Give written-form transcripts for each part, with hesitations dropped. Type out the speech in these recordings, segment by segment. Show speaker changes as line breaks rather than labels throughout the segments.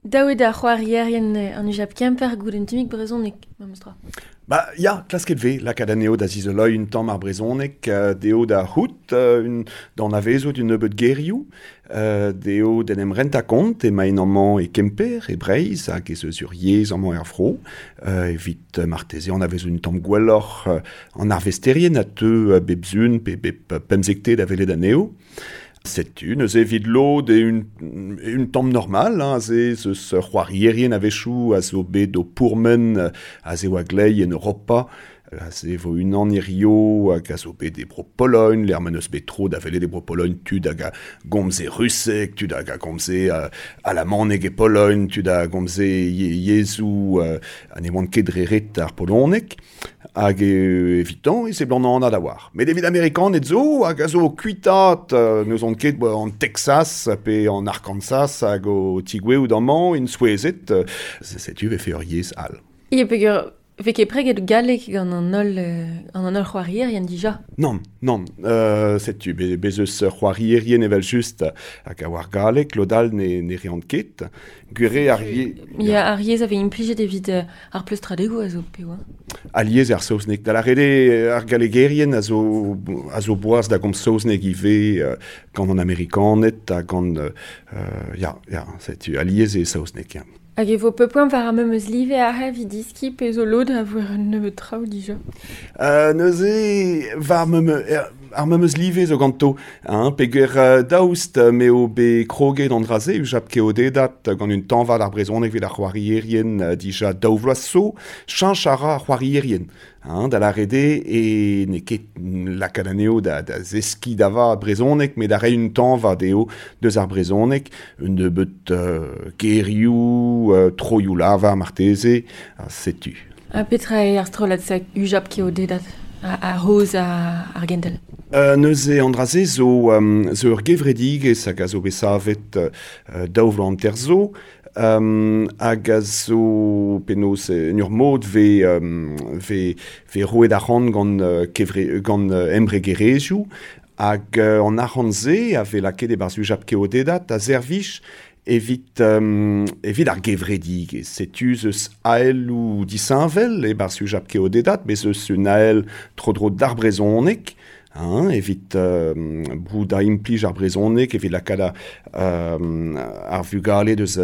Dav eo da c'hoarierien an UJAP Kemper goût un tammig brezhoneg, memes tra.
Ba ya, klasket 'vez lakaat anezho da zizoloiñ un tamm ar brezhoneg, dezho da c'hoût, da anavezout un nebeud gerioù, dezho d'en em rentañ kont emaint amañ e Kemper, e Breizh, hag ez eus ur yezh amañ er vro, evit marteze anavezout un tamm gwelloc'h an arvesterien a teu bep sun pe bep pemzektez da welet anezho. Setu neuze evit lod eo un tamm normal, hein, aze ez eus c'hoarierien a-wechoù a zo bet o pourmen aze oa glei en Europa. Aze e vo unan hirio hag a zo bet e Bro-Pologn, lec'h ma n'eus bet tro da welet e Bro-Pologn tud hag a gomze ruseg, tud hag a gomze alamaneg e Pologn, tud a gomze yezhoù ha ne oant ket dre ret ar poloneg. Hag evitañ e seblant anat a-walc'h. Met evit Amerikaned zo hag a zo o kuitaat n'ouzon ket an Texas pe an Arkansas hag o tigouezhout amañ int souezhet, setu e vefe ur yezh all.
Ya, peogwir 'vez ket preget galleg gant an holl gant an holl c'hoarierien dija.
Nann, nann. Setu, bez eus c'hoarierien evel-just hag a oar galleg, lod all ne reont ket. Gwir eo ar yezh...
Ya, ar yezh a vez implijet evit ar pleustradegoù a zo pe oa.
Alies ar saozneg. Da lâret eo ar gallegerien a zo boaz da gomz saozneg ivez gant an Amerikaned ha gant... ya, setu alies eo saozneg, ya.
Hag e vo pep poent war ar memes live aze evit deskiñ pe zo lod a voe un nebeud traoù dija?
Neuze, war ar memes live zo ganto, hein, peogwir daoust m'eo bet kroget an dra-se, UJAP keodedat gant un tañva d'ar brezhoneg evit ar c'hoarierien dija daou vloaz zo, cheñch a ra ar c'hoarierien. Hein, da lâret eo e n'eo ket lakaat anezho da zeskiñ da vat brezhoneg, met da reiñ un tañva dezho deus ar brezhoneg, un nebeud gerioù, troioù-lavar marteze, ha setu.
Ha petra eo ar strollad-se UJAP keodedat a-raoz ar gentel?
Neuze an dra-se zo ur gevredigezh hag a zo bet savet daou vloaz hanter zo, hag a zo penaos en ur mod 'vez roet arc'hant gant kevre gant embregerezhioù hag an arc'hant-se a vez lakaet e-barzh UJAP keodedat a servij evit ar gevredigezh. Setu ez eus aeloù disheñvel e-barzh UJAP keodedat, bez eus un ael tro-dro d'ar brezhoneg, hein, evit broudañ implij ar brezhoneg, evit lakaat ar vugale deus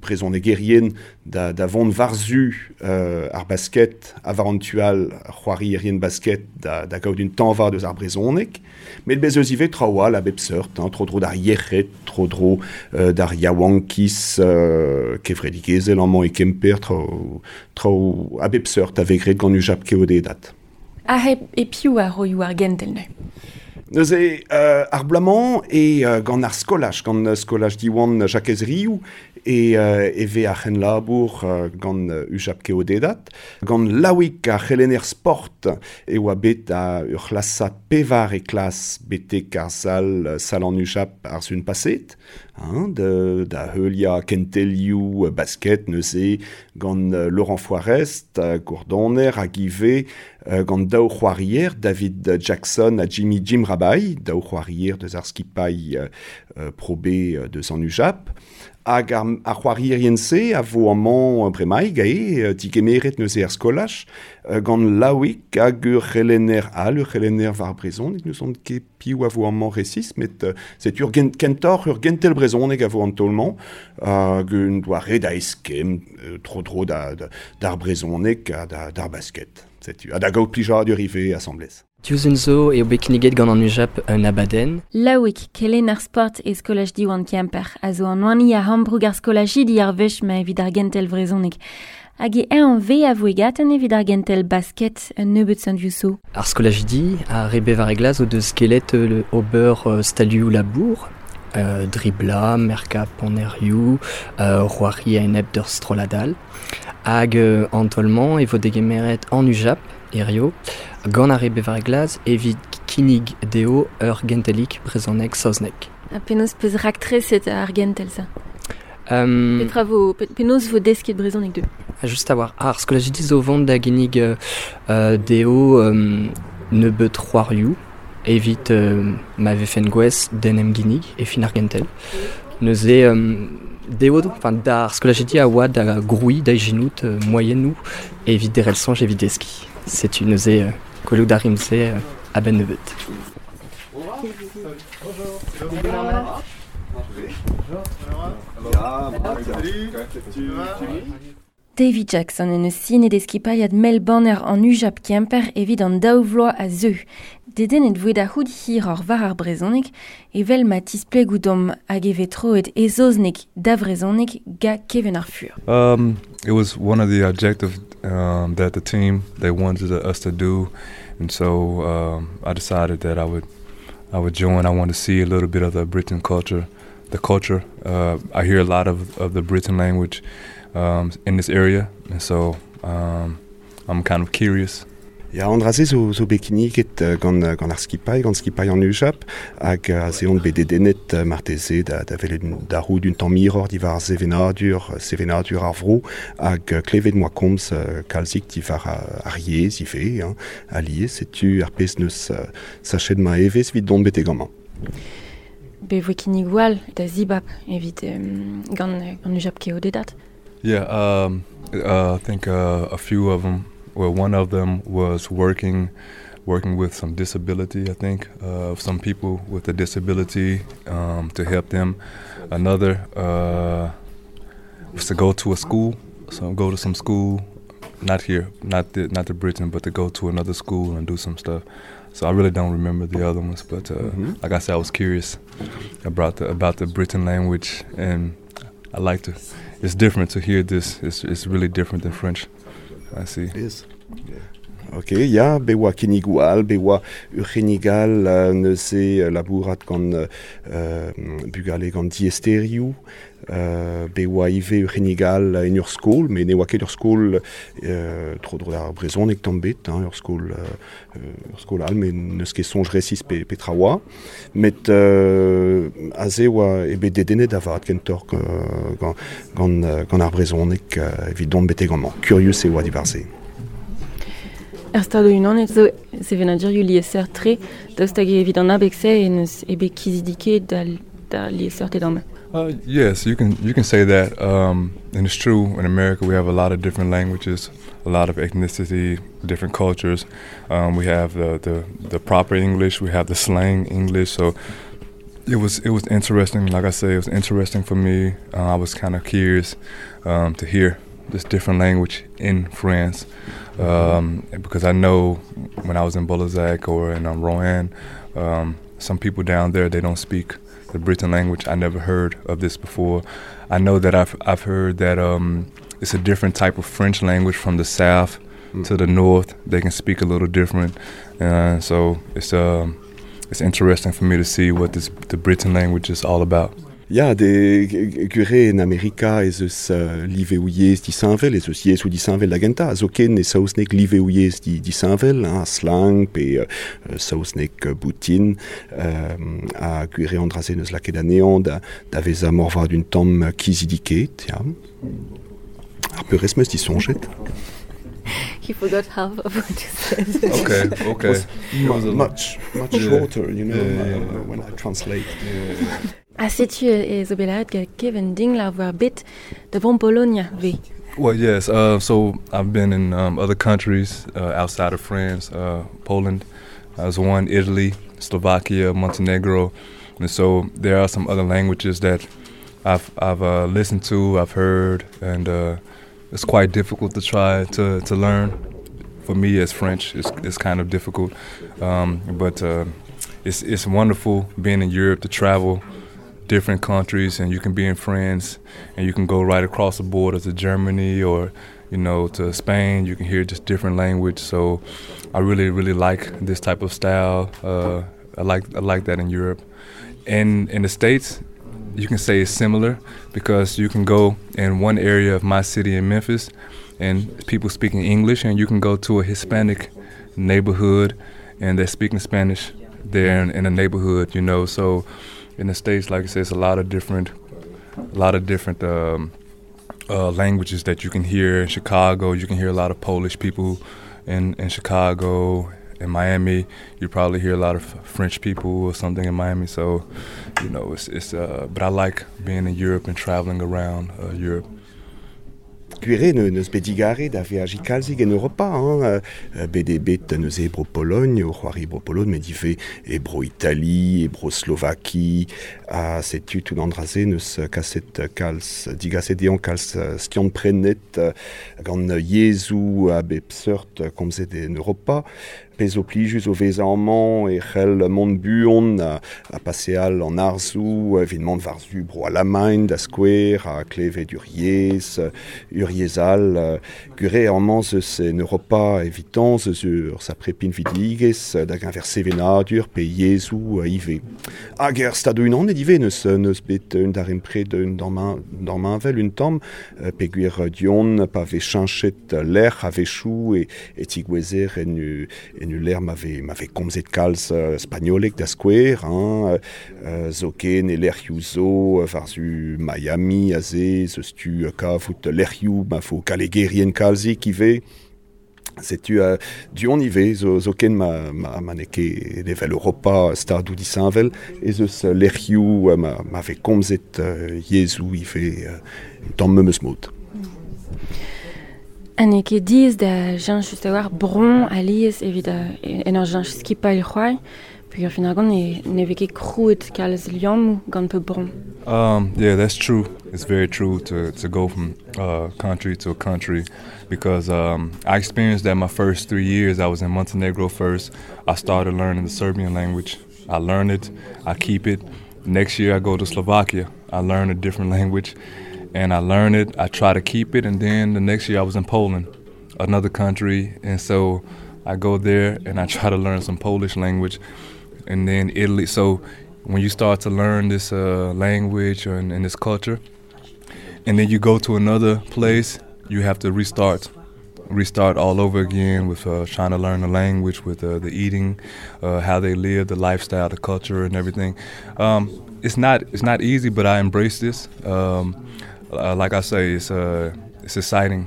brezhonegerien da vont war-zu ar basket ha war an tu all c'hoarierien basket da gaout un tañva deus ar brezhoneg. Met bez eus ivez traoù all a bep seurt, hein, tro-dro d'ar yec'hed, tro-dro d'ar yaouankiz kevredigezhel amañ e Kemper, traoù a bep seurt a vez graet gant UJAP keodedat.
Ha e piv a roioù ar gentel neuze?
Neuze, ar bloaz-mañ eo gant ar skolaj, gant skolaj Diwan Jakez Riou, e vez ar c'henlabour gant UJAP keodedat. Gant Laouig, ar c'helenner sport, e oa bet ur c'hlasad pevar e klas betek ar sal, sal an UJAP ar sun paset, hein, da heuliañ kentelioù basket neuze gant Laurent Foirest, gourdoner, hag ivez gant daou c'hoarier, David Jackson ha Jimmy Jim Rabail, daou c'hoarier deus ar skipailh Pro B deus an UJAP. Hag ar c'hoarierien-se a vo amañ bremaik eo digemeret neuze er skolaj gant Laouig hag ur c'helenner all, ur c'helenner war brezhoneg, n'ouzon ket piv a vo amañ resis, met setu ur kentoc'h ur gentel brezhoneg a vo an taol-mañ hag un doare da eskemm tro-dro d'ar brezhoneg ha d'ar basket. Setu, ha da gaout plijadur ivez asambles.
Diouzh zo eo bet kinniget gant an UJAP un abadenn.
Laouig, kelenner sport e skolaj Diwan Kemper, a zo an hini a ambroug ar skolajidi ar wech-mañ evit ar gentel vrezhoneg. Hag e eñ ve a voe gaten evit ar gentel basket un nebeud sant-Yousso.
Ar skolajidi ar re bevar e glas o deus kelet ober stalioù labour, driblañ, merkañ panerioù, c'hoari a-enep d'ur strollad all. Hag an taol-mañ e vo degemeret an UJAP hirio gant ar re bevar e glas evit kinnig dezho ur gentelig brezhoneg saozneg.
Ha penaos peus raktreset ar gentel-se? Petra vo, penaos vo desket brezhoneg dezho?
Just a-walc'h, ar skolajidi zo vont da ginnig dezho nebeut c'hoarioù evit ma vefen gouest d'en em ginnig e fin ar gentel. Neuze. Dezho, enfin d'ar skolajidi a oa da grouiñ, da ijinout moaienoù evit derc'hel soñj evit deskiñ. Setu neuze gwelout a rimp se a-benn nebeut.
Davy Jackson en deus sinet e skipailhad mell banner an UJAP Kemper evit an daou vloaz a zeu. Dedennet voe da c'hoût hiroc'h war ar brezhoneg evel ma tisplegoù domp hag e vez troet e saozneg da vrezhoneg ga Kevin ar Fur.
It was one of the objectives that the team they wanted us to do and so I decided that I would I would join. I wanted to see a little bit of the Breton culture the culture. I hear a lot of, of the Breton language in this area and so I'm kind of curious.
Ya, an dra-se zo, zo bet kinniget gant, gant ar skipailh, gant skipailh an UJAP, hag aze on bet dedennet marteze da, da welet da rout un tamm hiroc'h diwar sevenadur, sevenadur ar vro, hag klevet 'moa komz kalzik diwar ar yezh ivez, hein, alies, setu ar pezh 'neus sachet ma evezh evit dont betek amañ.
Bet voe kinnigoù all da zibab evit gant, gant UJAP keodedad.
Yeah, I think a few of them, well, one of them was working working with some disability, I think, some people with a disability to help them. Another was to go to a school, so go to some school, not here, not the, not to Britain, but to go to another school and do some stuff. So I really don't remember the other ones, but like I said, I was curious about the about the Breton language, and I like to. It's different to hear this. It's, it's really different than French. I see.
It is. Yeah. Ok, ya, bet oa kinnigoù all, bet oa ur c'hinnig all neuze labourat gant bugale gant diaesterioù, bet oa ivez ur c'hinnig all en ur skol, met ne oa ket ur skol tro-dro d'ar brezhoneg tamm bet, hein, ur skol, ur skol all, met n'eus ket soñj resis pe, petra oa. Met aze oa eo bet dedennet da vat kentoc'h gant, gant, gant ar brezhoneg evit dont betek amañ. Kurius e oa diwar-se.
Er Stadoù-Unanet zo sevenadurioù liesseurt-tre, daoust hag evit an abeg-se en deus eo bet kizidikaet da, da liesseurted amañ.
Yes, you can you can say that, and it's true. In America, we have a lot of different languages, a lot of ethnicity, different cultures. We have the, the the proper English, we have the slang English. So it was it was interesting. Like I say, it was interesting for me. I was kind of curious to hear this different language in France because I know when I was in Boulazac or in Roanne, some people down there they don't speak the Breton language. I never heard of this before. I know that I've I've heard that it's a different type of French language from the south to the north. They can speak a little different. So it's it's interesting for me to see what this the Breton language is all about.
Ya, de gwir eo en Amerika ez eus liveoù yezh disheñvel, ez eus yezhoù disheñvel da gentañ, ha zoken e saozneg liveoù yezh disheñvel, hein, slang pe saozneg boutin, ha gwir eo an dra-se n'eus lakaet anezhañ da, da vezañ moarvat un tamm kizidikaet, ya. Ar peurrest 'm eus disoñjet.
He forgot half of what you said.
Okay.
It was much, much shorter, you know, when I translate.
Ha setu e zo bet lâret gant Kevin Dingler war bet da vont Polonia ve.
Well, yes. So I've been in other countries outside of France, Poland, as one, Italy, Slovakia, Montenegro, and so there are some other languages that I've I've listened to, I've heard, and it's quite difficult to try to to learn. For me, as French, it's it's kind of difficult, but it's it's wonderful being in Europe to travel different countries, and you can be in France, and you can go right across the border to Germany or you know to Spain. You can hear just different language. So I really really like this type of style. I like I like that in Europe. And in the States, you can say it's similar because you can go in one area of my city in Memphis and people speaking English, and you can go to a Hispanic neighborhood and they're speaking Spanish there in, in a neighborhood, you know. So in the States, like I said, it's a lot of different, a lot of different languages that you can hear in Chicago. You can hear a lot of Polish people in, in Chicago In Miami, you probably hear a lot of French people or something in Miami. So, you know, it's but I like being in Europe and traveling around Europe.
Gwir eo n'eus bet digare da veajiñ kalzik en Europa, hein, bet eo bet neuze e Bro-Pologn, o c'hoari e Bro-Pologn, met ivez e Bro-Itali, e Bro-Slovaki, ha setu tout an dra-se n'eus kaset kalz, digaset dezhañ kalz skiant-prenet gant yezhoù a bep seurt komzet en Europa. Pezh zo plijus o vezañ amañ e c'hell mont buan ha paseal an harzoù evit mont war-zu Bro-Alamagn da skouer ha klevet ur yezh, ur yezh all. Gwir eo amañ 'z eus en Europa evitañ 'z eus ur sapre pinvidigezh da geñver sevenadur pe yezhoù ivez. Hag er Stadoù-Unanet ivez n'eus bet un darempred un damheñvel un tamm peogwir du-hont pa vez cheñchet lec'h a-wechoù e tigouezer en ul lec'h ma vez komzet kalz spagnoleg da skouer, hein, zoken e lec'hioù zo war-zu Miami aze, 'z eus tu kavout lec'hioù ma vo gallegerien kalzik ivez. Setu du-hont ivez zoken ma n'eo ket evel Europa stadoù disheñvel ez eus lec'hioù ma vez komzet yezhoù ivez un tamm memes mod.
Ha n'eo ket diaes da cheñch just a-walc'h bron alies evit en ur cheñch skipailh c'hoari peogwir fin ar gont ne vez ket krouet kalz liammoù gant pep bron.
Yeah, that's true. It's very true to go from country to country because I experienced that my first 3 years. I was in Montenegro first. I started learning the Serbian language. I learn it, I keep it. Next year I go to Slovakia. I learn a different language and I learn it, I try to keep it, and then the next year I was in Poland, another country, and so I go there and I try to learn some Polish language, and then Italy. So when you start to learn this language and this culture, and then you go to another place, you have to restart all over again with trying to learn the language, with the eating, how they live, the lifestyle, the culture, and everything. It's not easy, but I embrace this. Like I say, it's exciting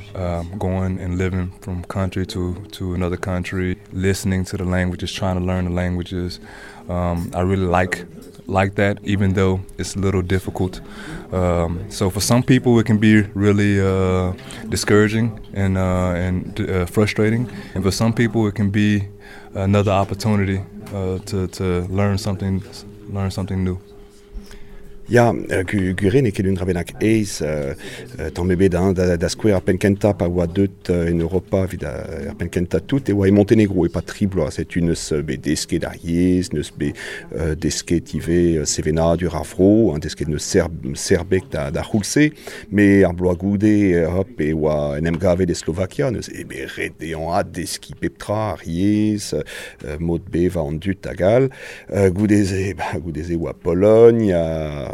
going and living from country to another country, listening to the languages, trying to learn the languages. I really like that, even though it's a little difficult. So for some people, it can be really discouraging and frustrating, and for some people, it can be another opportunity to learn something new.
Ya, gwir eo n'eo ket un dra bennak aes, tamm ebet hein, da skouer ar penn-kentañ pa oa deut en Europa evit ar penn-kentañ tout e oa e Montenegro e pa tri bloaz. Setu n'eus bet desket ar yezh, n'eus bet desket ivez sevenadur ar vro, hein, desket n'eus serbeg da c'houlz-se, met ar bloaz goude hop, e oa en em gavet e Slovakia, n'eus e bet ret dezhañ addeskiñ pep tra ar yezh, mod bevañ an dud hag all. Goude-se oa Pologn,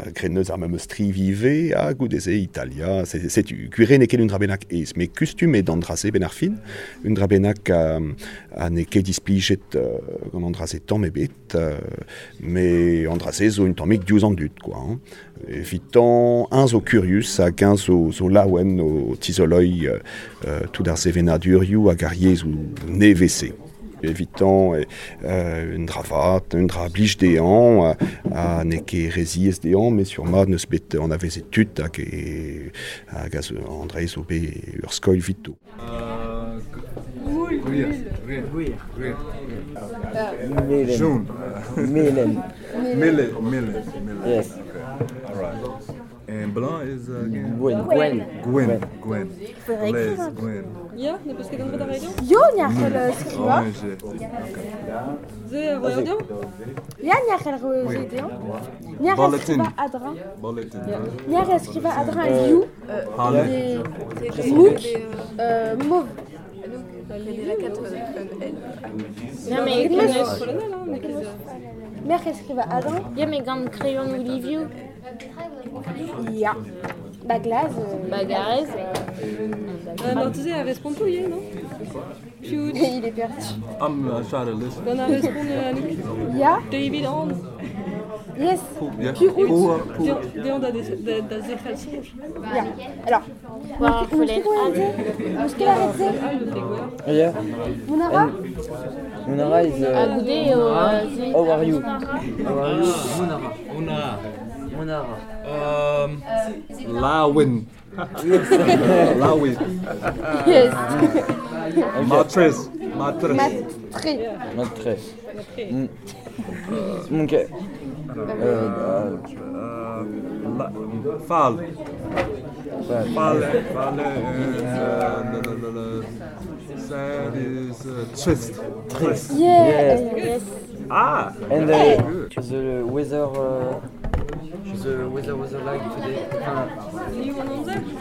graet neus ar memes striv ivez, ha goude-se Italia, setu gwir eo n'eo ket un dra bennak aes, met kustum eo d'an dra-se benn ar fin, un dra bennak ha n'eo ket displijet gant an dra-se tamm ebet, met an dra-se zo un tammig diouzh an dud, quoi, hein. Evitañ, un zo kurius hag un zo laouen o tizoloiñ tout ar sevenadurioù hag ar yezhoù nevez-se. Evitañ un dra vat, un dra blij dezhañ, ha n'eo ket re ziaes dezhañ, met sur mat n'eus bet anavezet tud hag an dra zo bet ur skoilh evito.
Melen.
Melen.
Yes.
Okay. All right. And Blanc is again?
Gwen.
Gwen. Les, Gwen.
Ya, ne peus ket an dra da reiñ?
Yo, ni a c'hell skrivañ.
Ze a roer deomp?
Ya, ni a c'hell roer deomp. Ni a c'hell skrivañ adra. Ni a c'hell skrivañ adra liou, des mouk, mauve.
Non, mais
Mer skriva adra.
Ya, mais gant crayon ou livioù.
Ya. Baglaz.
Bagarez.
Marteze a respond tout, non?
Il est perdu.
I'm trying to listen.
Gant a respond Anouk.
Ya.
David Hans.
Yes.
Yeah.
Piv out?
Who, who,
Deomp da zerc'hel soñj.
Ya. Alors,
War ar follenn.
N'eus ket lâret se?
Yeah.
Mont a ra?
Munara is
Ha goude eo...
how are you? How are you?
Munara. Munara.
Munara.
Lawin. Lawin.
Yes.
Matres. Matres.
Matre.
Matre. Ok.
Fall. Fall. Fall. And sad is trist. Trist.
Yeah.
Yes.
Ah.
And the weather. The weather was like today.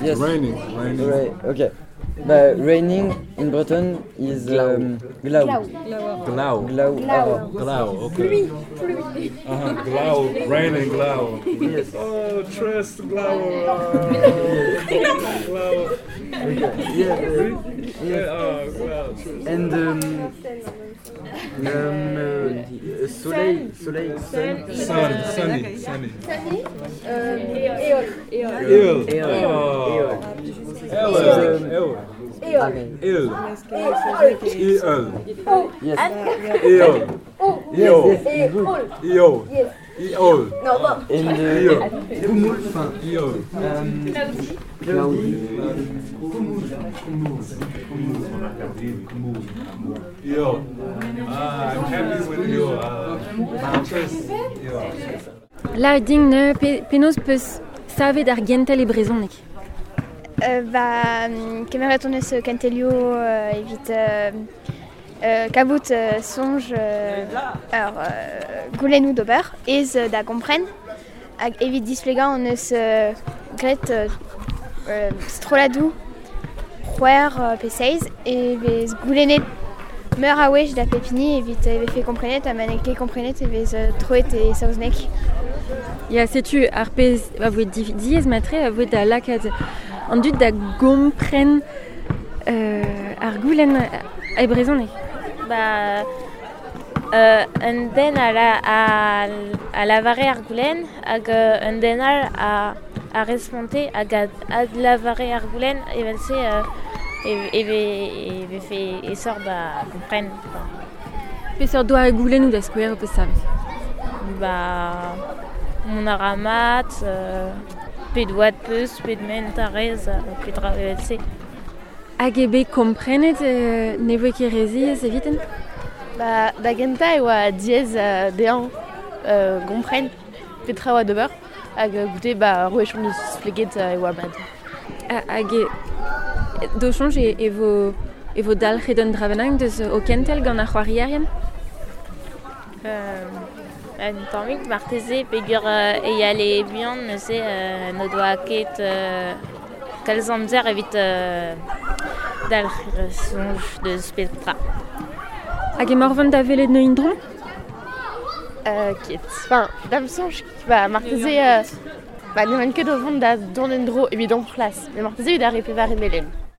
Yes.
Raining. Raining.
Right. Okay. But raining in Breton is glaou. Glaou.
Glau.
Glaou.
Glaou.
Glau. Okay. Glau. Raining. Glau.
Yes.
Oh, trist. Glau. Glau.
Yeah.
Yeah. Oh, glau. Trist.
And soleil, soleil, sun.
Sun. Sunny. Sunny.
Éol.
Ill.
Éol.
Oh.
Éol.
El.
Éol.
Il. Il.
Yes.
Il.
Yes, yes.
Éol.
Io.
Yes.
Io.
Non, bon.
And
Io. Io.
cloudy.
Io. Ah, I'm happy with you. Mattress. Io.
La ding ne penaos peus savet ar gentel e brezhoneg.
Ba, kemeret on eus kentelioù evit kabout soñj ur goulennoù d'ober ez da kompren hag evit displegañ on eus graet strolladoù c'hwec'h pe seizh e vez goulennet meur a wech da pep hini evit e vefe komprenet ha ma n'eo ket komprenet e vez troet e saozneg.
Ya, setu ar pezh a voe diaes matre a voe da lakaat an dud da gompren ar goulenn e brezhoneg.
Ba, un den a lavare ar goulenn hag un den all a responte hag a lavare ar goulenn evel-se e vefe esor da kompren.
Peseurt doare goulennoù da skouer peus savet?
Ba, mont a ra mat, pet oad peus, pet ment a rez, pet ra evel-se.
Hag eo bet komprenet ne voe ket re ziaes eviten?
Ba, da gentañ e oa diaes dezhañ kompren petra oa d'ober hag goude ba rouech on eus spleget e oa mat.
Hag d'o soñj e vo dalc'het un dra bennak deus o kentel gant ar c'hoarierien?
Un tammig marteze peogwir e yale buan neuze n'o doa ket kalz amzer evit dalc'h soñj deus petra.
Hag emaoc'h vont da welet neuint dron?
Ket. Enfin, da'm soñj, ba, marteze ba, n'emaon ket o vont da dont en-dro evit hon c'hlas, met marteze evit ar re pevare melen.